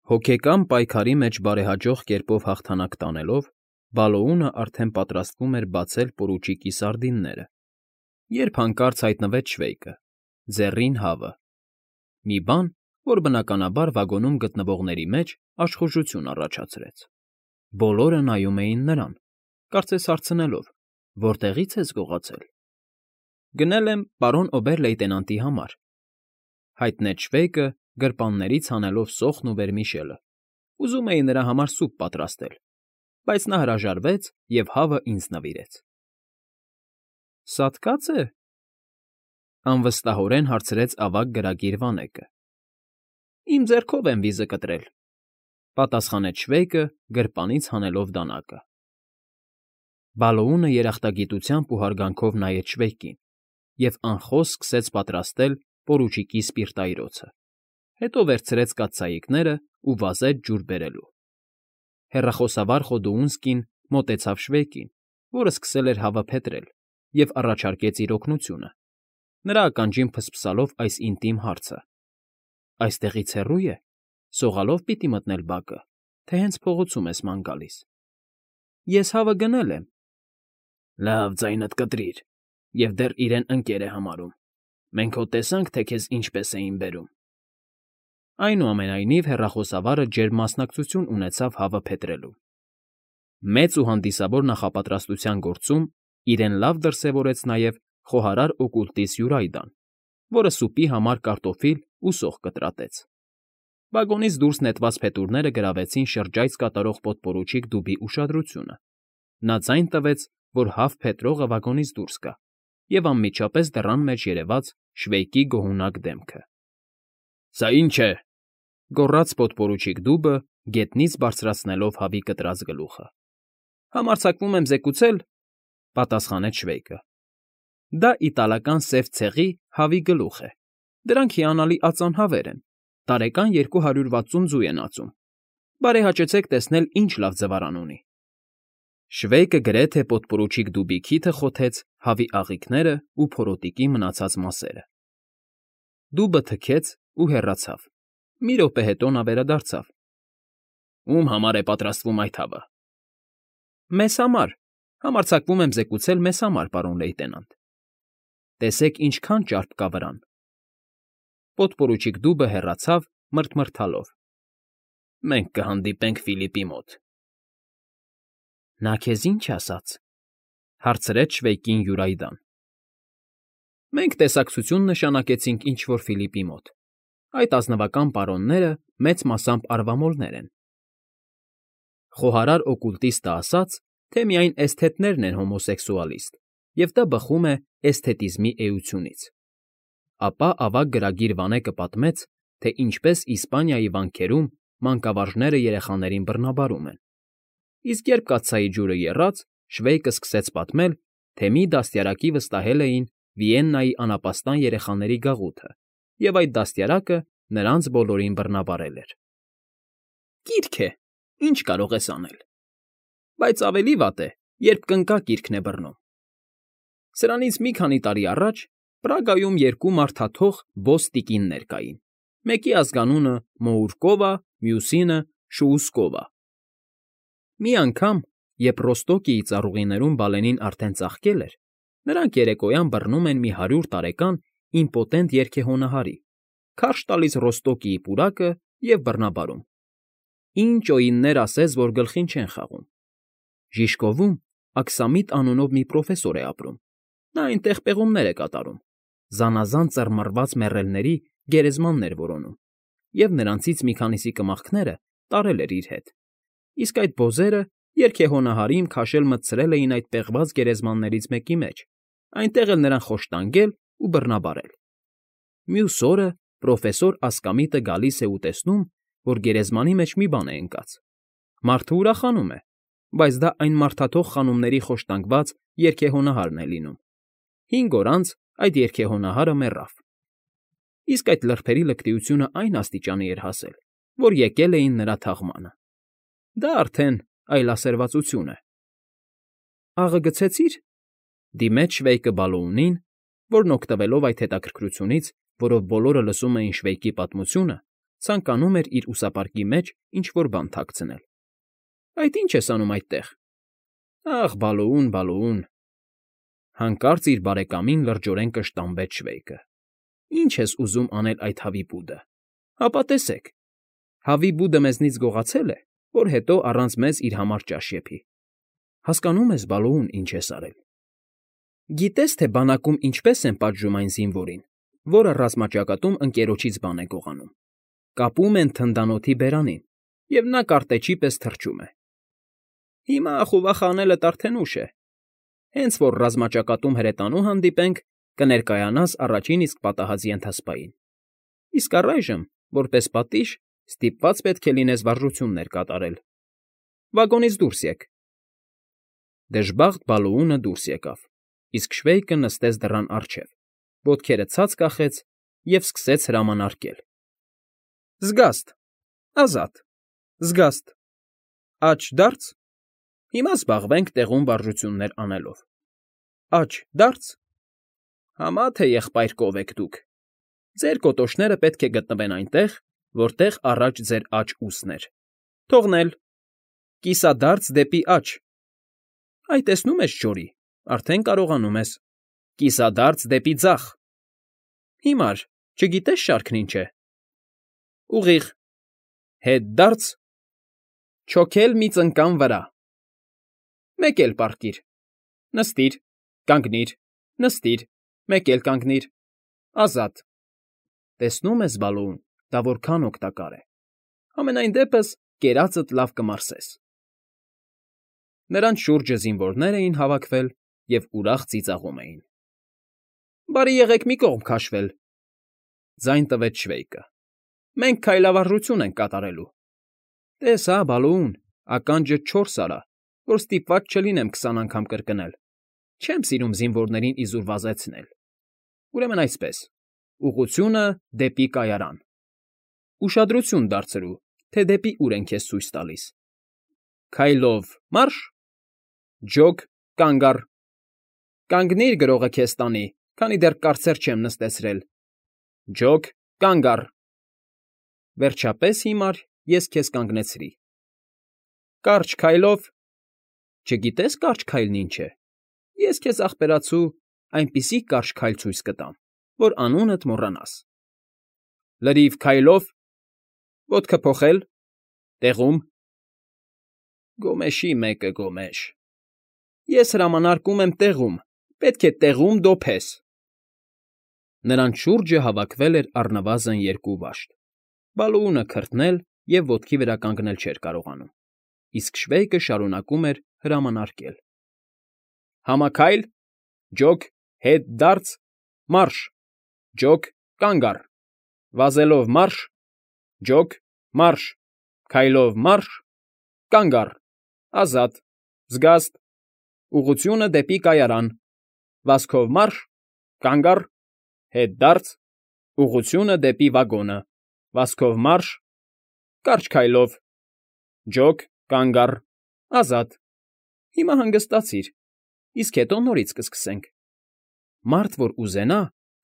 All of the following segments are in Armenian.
Հոգեկան պայքարի մեջ բարեհաջող կերպով հաղթանակ տանելով, Բալոունը արդեն պատրաստվում էր բացել պորուչիկի սարդինները, երբ հանկարծ հայտնվեց Շվեյկը, ձեռին հավը, մի բան, որ բնականաբար վագոնում գտնվողների մեջ աշխուժություն առաջացրեց։ Բոլորը նայում էին նրան, կարծես հարցնելով. «Որտեղի՞ց ես գողացել»։ «Գնել եմ պարոն օբեր֊լեյտենանտի համար», հայտնեց Շվեյկը, գրպաններից հանելով սոխն ու վերմիշելը։ «Ուզում էի նրա համար սուպ պատրաստել, բայց նա հրաժարվեց և հավը ինձ նվիրեց»։ «Սատկած է՞,» անվստահորեն հարցրեց ավագ գրագիր Վանեկը։ «Իմ ձեռքով եմ վիզը կտրել», պատասխանեց Շվեյկը, գրպանից հանելով դանակը։ Բալոունը երախտագիտությամբ ու հարգանքով նայեց Շվեյկին և անխոս սկսեց պատրաստել պորուչիկի սպիրտայրոցը, հետո վերցրեց կաթսայիկներն ու վազեց ջուր բերելու։ Հեռախոսավար Խոդուունսկին մոտեցավ Շվեյկին, որը սկսել էր հավը փետրել, և առաջարկեց իր օգնությունը, նրա ականջին ֆսֆսալով այս ինտիմ հարցը. «Այստեղից հեռո՞ւ է, սողալով պիտի մտնել բակը, թե հենց փողոցում ես ման գալիս»։ «Ես հավը գնել եմ»։ «Լավ, ձայնդ կտրիր, և դեռ իրեն ընկեր է համարում։ Մենք հո տեսանք, թե քեզ ինչպես էին բերում»։ Այնուամենայնիվ հեռախոսավարը ջերմ մասնակցություն ունեցավ հավը փետրելուն։ Մեծ ու հանդիսավոր նախապատրաստության գործում իրեն լավ դրսևորեց նաև խոհարար օկուլտիստ Յուրայդան, որը սուպի համար կարտոֆիլ ու սոխ կտրատեց։ Վագոնից դուրս նետված փետուրները գրավեցին շրջայց կատարող պոդպորուչիկ Դուբի ուշադրությունը։ Նա ձայն տվեց, որ հավ փետրողը վագոնից դուրս գա, և անմիջապես դռան մեջ երևաց Շվեյկի գոհունակ դեմքը։ «Սա ի՞նչ է,֊ գոռաց պոդպորուչիկ Դուբը, գետնից բարձրացնելով հավի կտրած գլուխը։ «Համարձակվում եմ զեկուցել,֊ պատասխանեց Շվեյկը,֊ դա իտալական սև ցեղի հավի գլուխ է։ Դրանք հիանալի ածան հավեր են, տարեկան 260 ձու են ածում։ Բարեհաճեցեք տեսնել ինչ լավ ձվարան ունի»։ Շվեյկը գրեթե պոդպորուչիկ Դուբի քիթը խոթեց հավի աղիքներն ու փորոտիկի մնացած մասերը։ Դուբը թքեց ու հեռացավ։ Մի րոպե հետո նա վերադարձավ։ «Ում համար է պատրաստվում այդ հավը»։ «Մեզ համար, համարձակվում եմ զեկուցել մեզ համար, պարոն լեյտենանտ։ Տեսեք ինչքան ճարպ կա վրան»։ Պոդպորուչիկ Դուբը հեռացավ, մռթմռթալով։ «Մենք կհանդիպենք Ֆիլիպի մոտ»։ «Նա քեզ ի՞նչ ասաց,֊ հարցրեց Շվեյկին Յուրայդան։ «Մենք տեսակցություն նշանակեցինք ինչ֊որ Ֆիլիպի մոտ։ Այդ ազնվական պարոնները մեծ մասամբ արվամոլներ են»։ Խոհարար օկուլտիստը ասաց, թե միայն էսթետներն են հոմոսեքսուալիստ, և դա բխում է էսթետիզմի էությունից։ Ապա ավագ գրագիր Վանեկը պատմեց, թե ինչպես Իսպանիայի վանքերում մանկավարժները երեխաներին բռնաբարում են։ Իսկ երբ կաթսայի ջուրը եռաց, Շվեյկը սկսեց պատմել, թե մի դաստիարակի վստահել էին Վիեննայի անապաստան երեխաների գաղութը, և այդ դաստիարակը նրանց բոլորին բռնաբարել էր։ «Կիրք է, ինչ կարող ես անել։ Բայց ավելի վատ է, երբ կնկա կիրքն է բռնում։ Սրանից մի քանի տարի առաջ Պրագայում երկու մարդաթող բոս տիկիններ կային, մեկի ազգանունը Մոուրկովա, մյուսինը՝ Շուուսկովա։ Մի անգամ, երբ Ռոստոկիի ծառուղիներում բալենին արդեն ծաղկել էր, նրանք երեկոյան բռնում են մի 100 տարեկան իմպոտենտ երգեհոնահարի, քարշ տալիս Ռոստոկիի պուրակը և բռնաբարում։ Ինչ օիններ ասես, որ գլխին չեն խաղում։ Ժիժկովում Աքսամիտ անունով մի պրոֆեսոր է ապրում։ Նա այնտեղ պեղումներ է կատարում, զանազան ծռմռված մեռելների գերեզմաններ որոնում, և նրանցից մի քանիսի կմախքները տարել էր իր հետ։ Իսկ այդ բոզերը երգեհոնահարին քաշել մտցրել էին այդ պեղված գերեզմաններից մեկի մեջ, այնտեղ էլ նրան խոշտանգել ու բռնաբարել։ Մյուս օրը պրոֆեսոր Ասկամիտը գալիս է ու տեսնում, որ գերեզմանի մեջ մի բան է ընկած։ Մարդը ուրախանում է, բայց դա այն մարդաթող խանումների խոշտանգված երգեհոնահարն է լինում։ 5 օր անց այդ երգեհոնահարը մեռավ։ Իսկ այդ լրբերի լկտիությունը այն աստիճանի էր հասել, որ եկել էին նրա թաղմանը։ Դա արդեն այլասերվածություն է։ «Աղը գցեցի՞ր,֊ դիմեց Շվեյկը Բալոունին, որն օգտվելով այդ հետաքրքրությունից, որով բոլորը լսում էին Շվեյկի պատմությունը, ցանկանում էր իր ուսապարկի մեջ ինչ֊որ բան թաքցնել։ Այդ ի՞նչ ես անում այդտեղ։ Ախ, Բալոուն, Բալոուն… Հանկարծ իր բարեկամին լրջորեն կշտամբեց Շվեյկը։ Ի՞նչ ես ուզում անել այդ հավիբուդը։ Հապա տեսեք, հավիբուդը մեզնից գողացել է, որ հետո առանց մեզ իր համար ճաշ եփի։ Հասկանո՞ւմ ես, Բալոուն, ինչ ես արել։ Գիտես, թե բանակում ինչպես են պատժում այն զինվորին, որը ռազմաճակատում ընկերոջից բան է գողանում։ Կապում են թնդանոթի բերանին, և նա կարտեչի պես թռչում է։ Հիմա ախուվախ անելդ արդեն ուշ է։ Հենց որ ռազմաճակատում հրետանու հանդիպենք, կներկայանաս առաջին իսկ պատահած ենթասպային։ Իսկ առայժմ, որպես պատիժ, ստիպված պետք է լինես վարժություններ կատարել։ Վագոնից դուրս եկ։ Դժբախտ Բալոունը դուրս եկավ, իսկ Շվեյկը նստեց դռան առջև, ոտքերը ցած կախեց և սկսեց հրամանակել. Զգաստ, ազատ, զգաստ, աջ դարձ, հիմա զբաղվենք տեղում վարժություններ անելով, աջ դարձ, համա թե եղբայր կով եք դուք, ձեր կոտոշները պետք է գտնվեն այնտեղ, որտեղ առաջ ձեր աջ ուսն էր, թողնել, կիսադարձ դեպի աջ, այ տեսնում ես, Ջորի, արդեն կարողանում ես, կիսադարձ դեպի ձախ, հիմար, չգիտես շարքն ինչ է, ուղիղ, հետ դարձ, չոքել մի ծնկան վրա, մեկ էլ պառկիր, նստիր, կանգնիր, նստիր, մեկ էլ կանգնիր, ազատ, տեսնում ես, Բալոուն, դա որքան օգտակար է, համենայն դեպս կերածդ լավ կմարսես։ Նրանց շուրջը զինվորներ էին հավաքվել և ուրախ ծիծաղում էին։ Բարի եղեք մի կողմ քաշվել, ձայն տվեց Շվեյկը։ Մենք քայլավարժություն ենք կատարելու։ Տես հա, Բալոուն, ականջդ 4 արա, որ ստիպված չլինեմ 20 անգամ կրկնել։ Չեմ սիրում զինվորներին իզուր վազեցնել։ Ուրեմն այսպես, ուղղությունը դեպի կայարան։ Ուշադրություն դարձրու, թե դեպի ուր են քեզ ցույց տալիս։ Քայլով մարշ, ջոկ, կանգ առ։ Կանգնիր, գրողը քեզ տանի, քանի դեռ կարծեր չեմ նստեցրել։ Ջոկ, կանգ առ։ Վերջապես հիմար ես քեզ կանգնեցրի։ Կարճ քայլով… Չգիտես կարճ քայլն ինչ է։ Ես քեզ ախպերացու այնպիսի կարճ քայլ ցույց կտամ, որ անունդ մոռանաս։ Լրիվ քայլով… Ոտքը փոխել… Տեղում… Գոմեշի մեկը գոմեշ… Ես հրամանակում եմ տեղում, պետք է տեղում դոփես։ Նրանց շուրջը հավաքվել էր առնվազն 2 վաշտ։ Բալոունը քրթնել և ոտքի վրա կանգնել չէր կարողանում, իսկ Շվեյկը շարունակում էր հրամանակել. Համաքայլ, ջոկ, հետ դարձ, մարշ, ջոկ, կանգ առ, վազելով մարշ, ջոկ, մարշ, քայլով մարշ, կանգ առ, ազատ, զգաստ, ուղղությունը դեպի կայարան, վազքով մարշ, կանգ առ, հետ դարձ, ուղղությունը դեպի վագոնը, վազքով մարշ, կարճ քայլով, ջոկ, կանգ առ, ազատ, հիմա հանգստացիր, իսկ հետո նորից կսկսենք։ Մարդ, որ ուզենա,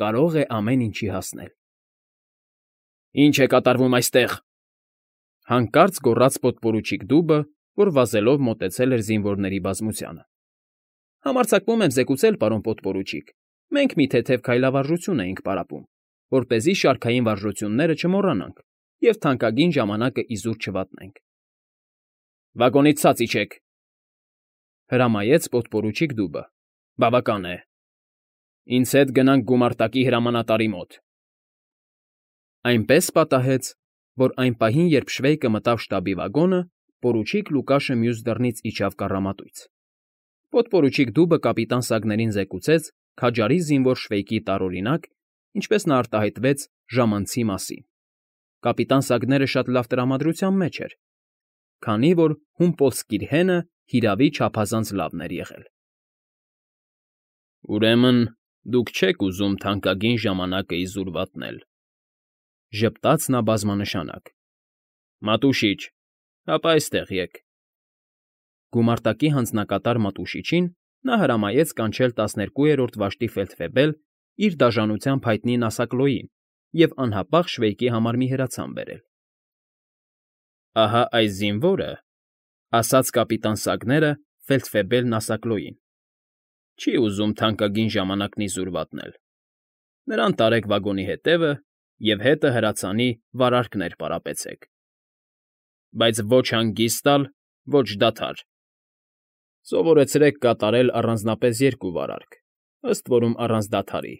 կարող է ամեն ինչի հասնել։ Ինչ է կատարվում այստեղ։ Հանկարծ գոռաց պոդպորուչիկ Դուբը, որ վազելով մոտեցել էր զինվորների բազմությանը։ Համարձակվում եմ զեկուցել, պարոն պոդպորուչիկ, մենք մի թեթև քայլավարժություն էինք պարապում, որպեսզի շարքային վարժությունները չմոռանանք և թանկագին ժամանակը իզուր չվատնենք։ Վագոնից ցած իջեք, հրամայեց պոդպորուչիկ Դուբը։ Բավական է։ Ինձ հետ գնանք գումարտակի հրամանատարի մոտ։ Այնպես պատահեց, որ այն պահին, երբ Շվեյկը մտավ շտաբի վագոնը, պորուչիկ Լուկաշը մյուս դռնից իջավ կառամատույց։ Պոդպորուչիկ Դուբը կապիտան Սագներին զեկուցեց քաջարի զինվոր Շվեյկի տարօրինակ, ինչպես նա արտահայտվեց ժամանցի մասին։ Կապիտան Սագները շատ լավ տրամադրության մեջ էր, քանի որ Հումպոլսկիր֊հենը հիրավի չափազանց լավն էր եղել։ Ուրեմն դուք չեք ուզում թանկագին ժամանակը իզուր վատնել,֊ ժպտաց նա բազմանշանակ։ Մատուշիչ, հապա այստեղ եկ։ Գումարտակի հանձնակատար Մատուշիչին նա հրամայեց կանչել 12-րդ վաշտի ֆելդֆեբել իր դաժանությամբ հայտնի Նասակլոյին, և անհապաղ Շվեյկի համար մի հրացան բերել։ «Ահա այս զինվորը,֊ ասաց կապիտան Սագները ֆելդֆեբել Նասակլոյին,֊ չի ուզում թանկագին ժամանակն իզուր վատնել. նրան տարեք վագոնի հետևը և հետը հրացանի վարարքներ պարապեցեք, բայց ոչ հանգիստ տալ, ոչ դադար. սովորեցրեք կատարել առանձնապես 2 վարարք, ըստ որում առանց դադարի.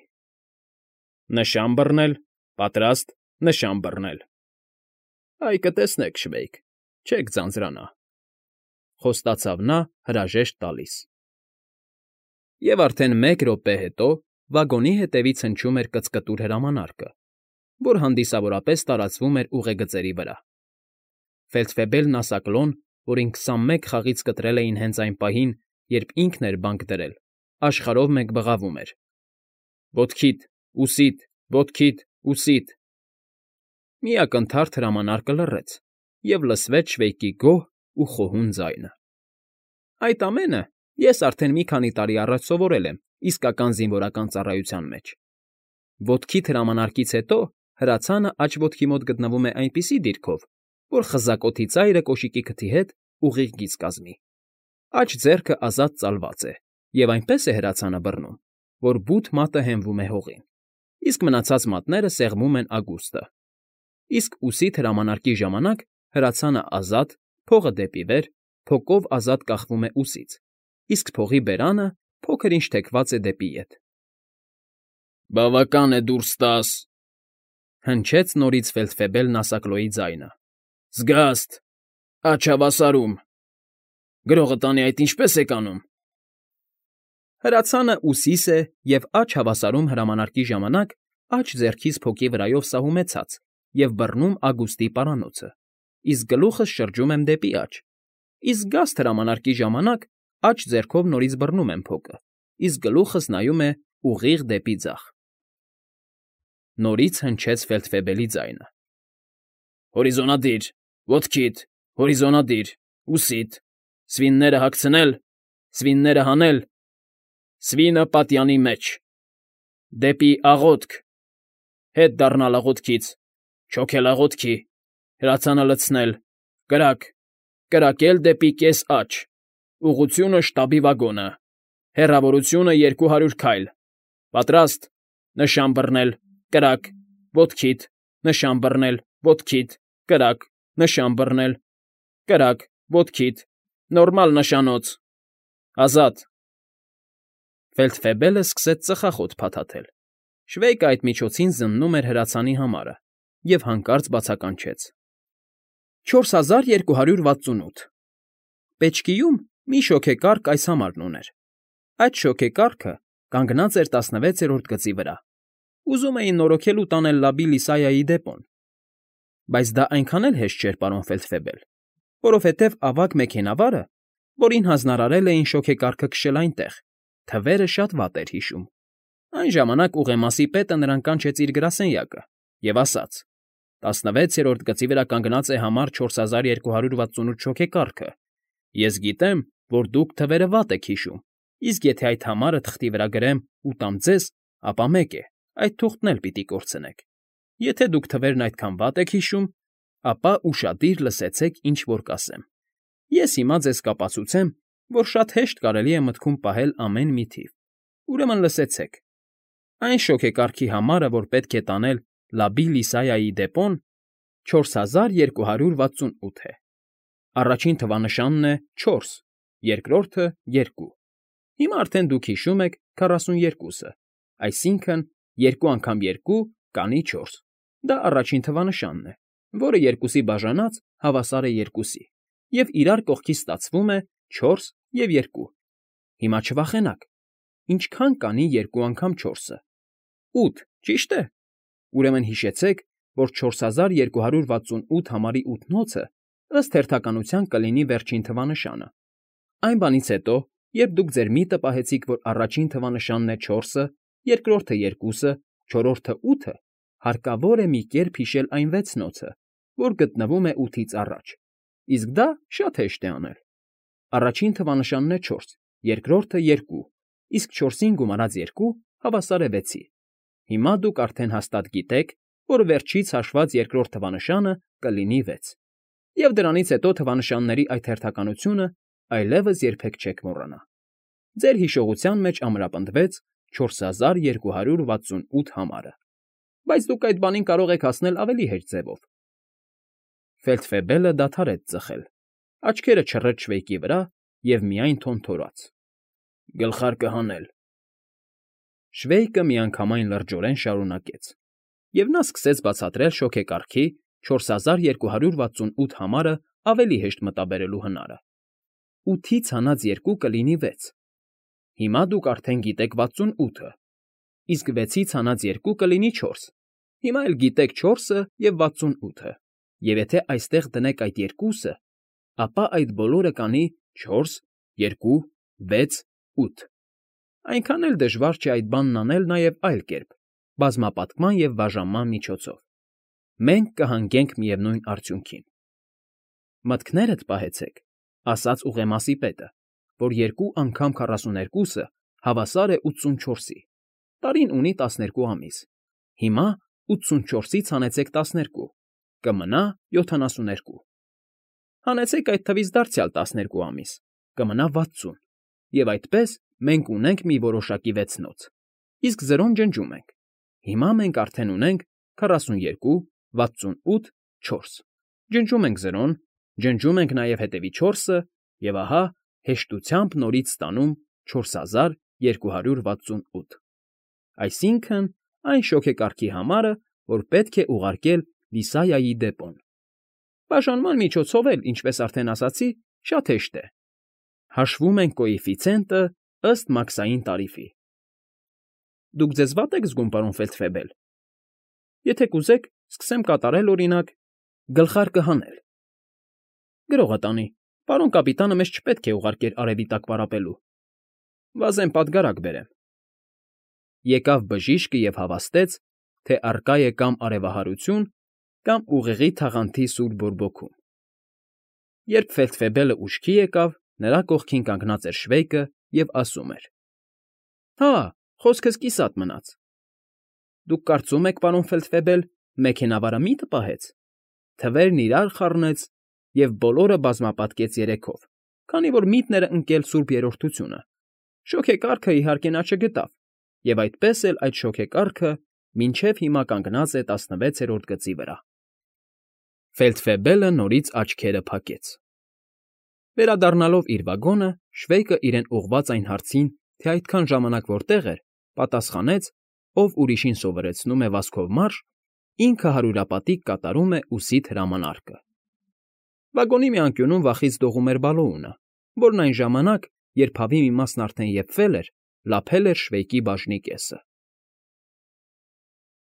նշան բռնել, պատրաստ, նշան բռնել։ Այ կտեսնեք, Շվեյկ, չեք ձանձրանա,֊ խոստացավ նա հրաժեշտ տալիս։ Եվ արդեն 1 րոպե հետո վագոնի հետևից հնչում էր կծկտուր հրամանարկը, որ հանդիսավորապես տարածվում էր ուղեգծերի վրա։ Ֆելդֆեբել Նասակլոն, որին 21 խաղից կտրել էին հենց այն պահին, երբ ինքն էր բանկ դրել, աշխարհով մեկ բղավում էր. «Ոտքիդ, ուսիդ, ոտքիդ, ուսիդ»։ Մի ակնթարթ հրամանարկը լռեց, և լսվեց Շվեյկի գոհ ու խոհուն ձայնը. «Այդ ամենը ես արդեն մի քանի տարի առաջ սովորել եմ իսկական զինվորական ծառայության մեջ։ Ոտքիդ հրամանարկից հետո հրացանը աջ ոտքի մոտ գտնվում է այնպիսի դիրքով, որ խզակոթի ծայրը կոշիկի քթի հետ ուղիղ գիծ կազմի։ Աջ ձեռքը ազատ ծալված է, և այնպես է հրացանը բռնում, որ բութ մատը հենվում է հողին, իսկ մնացած մատները սեղմում են ագուստը։ Իսկ ուսիդ հրամանարկի ժամանակ հրացանը ազատ, փողը դեպի վեր, փոկով ազատ կախվում է ուսից, իսկ փողի բերանը փոքր֊ինչ թեքված է դեպի ետ»։ «Բավական է դուրս տաս,֊ հնչեց նորից ֆելդֆեբել Նասակլոյի ձայնը։֊ Զգաստ, աջ հավասարում… Գրողը տանի այդ ինչպե՞ս եք անում»։ Հրացանը ուսիս է և աջ հավասարում հրամանարկի ժամանակ աջ ձեռքիս փոկի վրայով սահում է ցած և բռնում ագուստի պարանոցը, իսկ գլուխս շրջում եմ դեպի աջ, իսկ զգաստ հրամանարկի ժամանակ աջ ձեռքով նորից բռնում եմ փոկը, իսկ գլուխս նայում է ուղիղ դեպի ձախ։ Նորից հնչեց ֆելդֆեբելի ձայնը. «Հորիզոնադիր, ոտքիդ, հորիզոնադիր, ուսիդ, սվինները հագցնել, սվինները հանել, սվինը պատյանի մեջ, դեպի աղոթք, հետ դառնալ աղոթքից, չոքել աղոթքի, հրացանը լցնել, կրակ, կրակել դեպի կես աջ, ուղղությունը շտաբի վագոնը, հեռավորությունը 200 քայլ, պատրաստ, նշան բռնել, կրակ, ոտքիդ, նշան բռնել, ոտքիդ, կրակ, նշան բռնել, կրակ, ոտքիդ, նորմալ նշանոց, ազատ»։ Ֆելդֆեբելը սկսեց ծխախոտ փաթաթել։ Շվեյկը այդ միջոցին զննում էր հրացանի համարը և հանկարծ բացականչեց. 4268։ Պեչկիում մի շոգեկառք այս համարն ուներ։ Այդ շոգեկառքը կանգնած էր 16-րդ գծի վրա։ Ուզում էին նորոգել ու տանել Լաբի Լիսայայի դեպոն։ Բայց դա այնքան էլ հեշտ չէր, պարոն Ֆելդֆեբել, որովհետև ավագ մեքենավարը, որին հանձնարարել էին շոգեկառքը քշել այնտեղ, թվերը շատ վատ էր հիշում։ Այն ժամանակ ուղեմասի պետը նրան կանչեց իր գրասենյակը և ասաց. 16-րդ գծի վրա կանգնած է համար 4268 շոգեկառքը։ Ես գիտեմ, որ դուք թվերը վատ եք հիշում, իսկ եթե այդ համարը թղթի վրա գրեմ ու տամ ձեզ, ապա մեկ է, այդ թուղթն էլ պիտի կորցնեք։ Եթե դուք թվերն այդքան վատ եք հիշում, ապա ուշադիր լսեցեք, ինչ որ կասեմ։ Ես հիմա ձեզ կապացուցեմ, որ շատ հեշտ կարելի է մտքում պահել ամեն մի թիվ։ Ուրեմն լսեցեք. այն շոգեկառքի համարը, որ պետք է տանել Լաբի Լիսայայի դեպոն, 4268 է։ Առաջին թվանշանն է 4, երկրորդը 2։ Հիմա արդեն դուք հիշում եք 42-ը, այսինքն 2 անգամ 2 կանի 4։ Դա առաջին թվանշանն է, որը 2-ի բաժանած հավասար է 2-ի, և իրար կողքից ստացվում է 4 և 2։ Հիմա չվախենաք։ Ինչքան կանի 2 անգամ 4-ը։ 8, ճիշտ է։ Ուրեմն հիշեցեք, որ 4268 համարի 8-նոցը ըստ հերթականության կլինի վերջին թվանշանը։ Այն բանից հետո, երբ դուք ձեր միտը պահեցիք, որ առաջին թվանշանն է 4-ը, երկրորդը 2-ը, չորրորդը 8-ը, հարկավոր է մի կերպ հիշել այն 6-նոցը, որ գտնվում է 8-ից առաջ։ Իսկ դա շատ հեշտ է անել։ Առաջին թվանշանն է 4, երկրորդը 2, իսկ 4-ին գումարած 2 հավասար է 6-ի։ Հիմա դուք արդեն հաստատ գիտեք, որ վերջից հաշված երկրորդ թվանշանը կլինի 6, և դրանից հետո թվանշանների այդ հերթականությունը այլևս երբեք չեք մոռանա։ Ձեր հիշողության մեջ ամրապնդվեց 4268 համարը, բայց դուք այդ բանին կարող եք հասնել ավելի հեշտ ձևով։ Ֆելդֆեբելը դադարեց ծխել, աչքերը չռեց Շվեյկի վրա և միայն թոնթորաց. «Գլխարկը հանել»։ Շվեյկը միանգամայն լրջորեն շարունակեց, և նա սկսեց բացատրել շոգեկարգի 4268 համարը ավելի հեշտ մտաբերելու հնարը։ 8-ից հանած 2 կլինի 6։ Հիմա դուք արդեն գիտեք 68-ը, իսկ 6-ից հանած 2 կլինի 4։ Հիմա էլ գիտեք 4-ը և 68-ը, և եթե այստեղ դնեք այդ երկուսը, ապա այդ բոլորը կանի 4, 2, 6, 8։ Այնքան էլ դժվար չէ այդ բանն անել նաև այլ կերպ՝ բազմապատկման և բաժանման միջոցով։ Մենք կհանգենք միևնույն արդյունքին։ Մտքներդ պահեցեք, ասաց ուղեմասի պետը, որ 2 անգամ 42-ը հավասար է 84-ի, տարին ունի 12 ամիս։ Հիմա 84-ից հանեցեք 12, կմնա 72։ Հանեցեք այդ թվից դարձյալ 12 ամիս, կմնա 60, և այդպես մենք ունենք մի որոշակի վեցնոց, իսկ 0-ն ջնջում ենք։ Հիմա մենք արդեն ունենք 42, 68, 4։ Ջնջում ենք 0-ն, ջնջում ենք նաև հետևի 4-ը, և ահա հեշտությամբ նորից ստանում 4268։ Այսինքն՝ այն շոգեկարգի համարը, որ պետք է ուղարկել Լիսայայի դեպոն։ Բաժանման միջոցով էլ, ինչպես արդեն ասացի, շատ հեշտ է։ Հաշվում ենք կոեֆիցիենտը ըստ մաքսային տարիֆի։ Դուք ձեզ վատ եք զգում, պարոն Ֆելդֆեբել։ Եթե կուզեք, սկսեմ կատարել, օրինակ, գլխարկը հանել։ Գրողը տանի, պարոն կապիտանը մեզ չպետք է ուղարկեր արևի տակ պարապելու։ Վազեն պատգարակ բերեմ։ Եկավ բժիշկը և հավաստեց, թե առկա է կամ արևահարություն, կամ ուղեղի թաղանթի սուր բորբոքում։ Երբ Ֆելդֆեբելը ուշքի եկավ, նրա կողքին կանգնած էր Շվեյկը և ասում էր. «Հա, խոսքս կիսատ մնաց։ Դուք կարծում եք, պարոն Ֆելդֆեբել, մեքենավարը միտը պահեց, թվերն իրար խառնեց և բոլորը բազմապատկեց 3-ով, քանի որ միտն էր ընկել Սուրբ Երրորդությունը։ Շոգեկարգը, իհարկե, նա չգտավ, և այդպես էլ այդ շոգեկարգը մինչև հիմա կանգնած է 16-րդ գծի վրա»։ Ֆելդֆեբելը նորից աչքերը փակեց։ Վերադառնալով իր վագոնը, Շվեյկը իրեն ուղղված այն հարցին, թե այդքան ժամանակ որտեղ էր, պատասխանեց, ով ուրիշին սովորեցնում է վազքով մարշ, ինքը հարյուրապատիկ կատարում է ուսիդ հրամանարկը։ Վագոնի մի անկյունում վախից դողում էր բալոունը, որն այն ժամանակ, երբ հավի մի մասն արդեն եփվել էր, լափել էր Շվեյկի բաժնի կեսը։